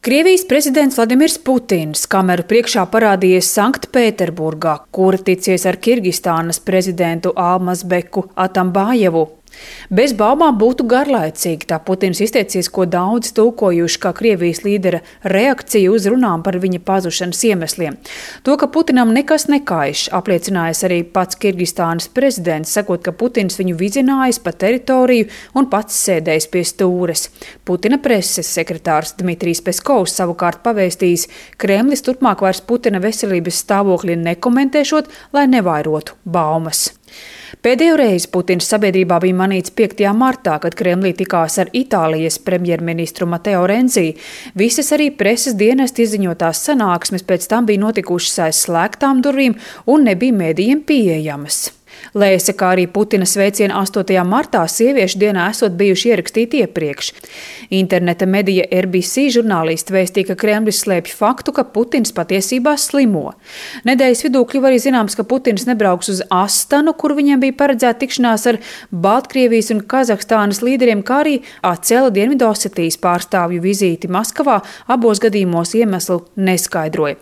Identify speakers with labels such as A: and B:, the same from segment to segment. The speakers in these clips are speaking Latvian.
A: Krievijas prezidents Vladimirs Putins kameru priekšā parādījies Sanktpēterburgā, kur ticies ar Kirgistānas prezidentu Almazbeku Atambājevu. Bez baumām būtu garlaicīgi, tā Putins izteicies, ko daudz tulkojuši kā Krievijas līdera reakciju uz runām par viņa pazušanas iemesliem. To, ka Putinam nekas nekaiš, apliecinājis arī pats Kirgistānas prezidents, sakot, ka Putins viņu vizinājis pa teritoriju un pats sēdējis pie stūres. Putina preses sekretārs Dmitrijs Peskovs savukārt pavēstījis, Kremlis turpmāk vairs Putina veselības stāvokli nekomentēšot, lai nevairotu baumas. Pēdējo reizi Putins sabiedrībā bija manīts 5. martā, kad Kremlī tikās ar Itālijas premjerministru Mateo Renzi. Visas arī preses dienesti izziņotās sanāksmes pēc tam bija notikušas aiz slēgtām durvīm un nebija mēdījiem pieejamas. Lēsa, kā arī Putina sveicieni 8. martā sieviešu dienā esot bijuši ierakstīti iepriekš. Interneta medija RBC žurnālisti vēstīja, ka Kremlis slēpj faktu, ka Putins patiesībā slimo. Nedēļas vidū kļuva arī zināms, ka Putins nebrauks uz Astanu, kur viņam bija paredzēta tikšanās ar Baltkrievijas un Kazahstānas līderiem, kā arī atcēla Dienvidosetijas pārstāvju vizīti Maskavā, abos gadījumos iemeslu neskaidroja.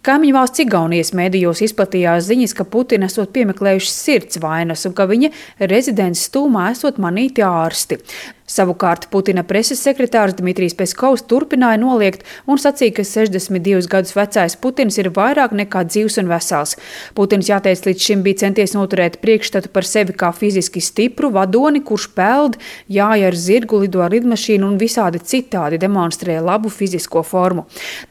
A: Kaimiņu valsts Igaunijas medijos izplatījās ziņas, ka Putina esot piemeklējuši sirds vainas un ka viņa rezidents stūmā esot manīti ārsti. Savukārt Putina preses sekretārs Dmitrijs Peskovs turpināja noliegt un sacīja, ka 62 gadus vecais Putins ir vairāk nekā dzīvs un vesels. Putins, jāteic, līdz šim bija centies noturēt priekšstatu par sevi kā fiziski stipru vadoni, kurš peld, jāja ar zirgu, lido ar lidmašīnu un visādi citādi demonstrē labu fizisko formu.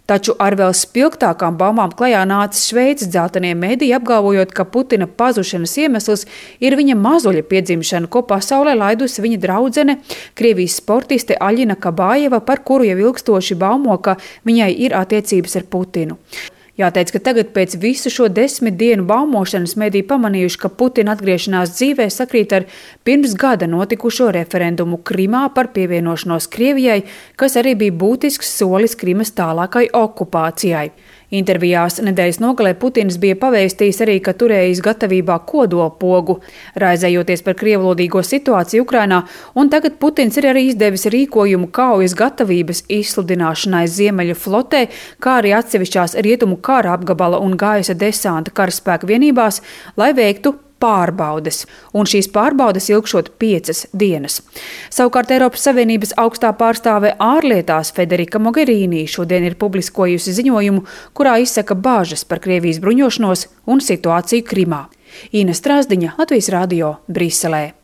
A: Taču ar vēl spilgtākām baumām klajā nāca Šveices dzeltenie mediji, apgalvojot, ka Putina pazušanas iemesls ir viņa mazuļa piedzimšana, ko pasaulē laidusi viņa draudzene, Krievijas sportiste Aļina Kabājeva, par kuru jau ilgstoši baumo, ka viņai ir attiecības ar Putinu. Jāteic, ka tagad pēc visu šo 10 dienu baumošanas mediji pamanījuši, ka Putina atgriešanās dzīvē sakrīt ar pirms gada notikušo referendumu Krimā par pievienošanos Krievijai, kas arī bija būtisks solis Krimas tālākai okupācijai. Intervijās nedēļas nogalē Putins bija pavēstījis arī, ka turējis gatavībā kodolpogu, raizējoties par krievlodīgo situāciju Ukrainā, un tagad Putins ir arī izdevis rīkojumu kaujas gatavības izsludināšanai Ziemeļu flotē, kā arī atsevišķās rietumu kara apgabala un gaisa desanta karaspēka vienībās, lai veiktu pārbaudes, un šīs pārbaudes ilgšot 5 dienas. Savukārt Eiropas Savienības augstā pārstāve ārlietās Federika Mogherini šodien ir publiskojusi ziņojumu, kurā izsaka bāžas par Krievijas bruņošanos un situāciju Krimā. Ina Strāzdiņa, Latvijas radio, Briselē.